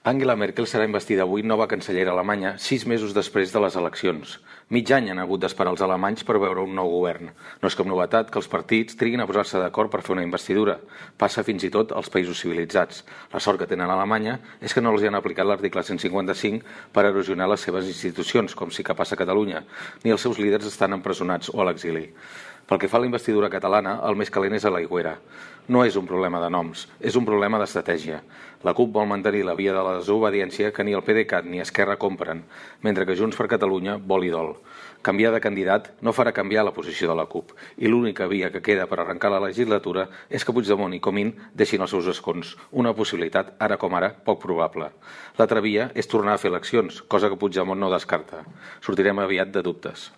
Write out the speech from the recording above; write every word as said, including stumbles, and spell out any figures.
Angela Merkel serà investida avui nova cancellera alemanya sis mesos després de les eleccions. Mig any han hagut d'esperar els alemanys per veure un nou govern. No és cap novetat que els partits triguin a posar-se d'acord per fer una investidura. Passa fins i tot als països civilitzats. La sort que tenen a Alemanya és que no els hi han aplicat l'article cent cinquanta-cinc per erosionar les seves institucions, com sí que passa a Catalunya, ni els seus líders estan empresonats o a l'exili. Pel que fa a la investidura catalana, el més calent és a l'Aigüera. No és un problema de noms, és un problema d'estratègia. La CUP vol mantenir la via de la desobediència que ni el PDeCAT ni Esquerra compren, mentre que Junts per Catalunya vol i dol. Canviar de candidat no farà canviar la posició de la CUP, i l'única via que queda per arrencar la legislatura és que Puigdemont i Comín deixin els seus escons, una possibilitat, ara com ara, poc probable. L'altra via és tornar a fer eleccions, cosa que Puigdemont no descarta. Sortirem aviat de dubtes.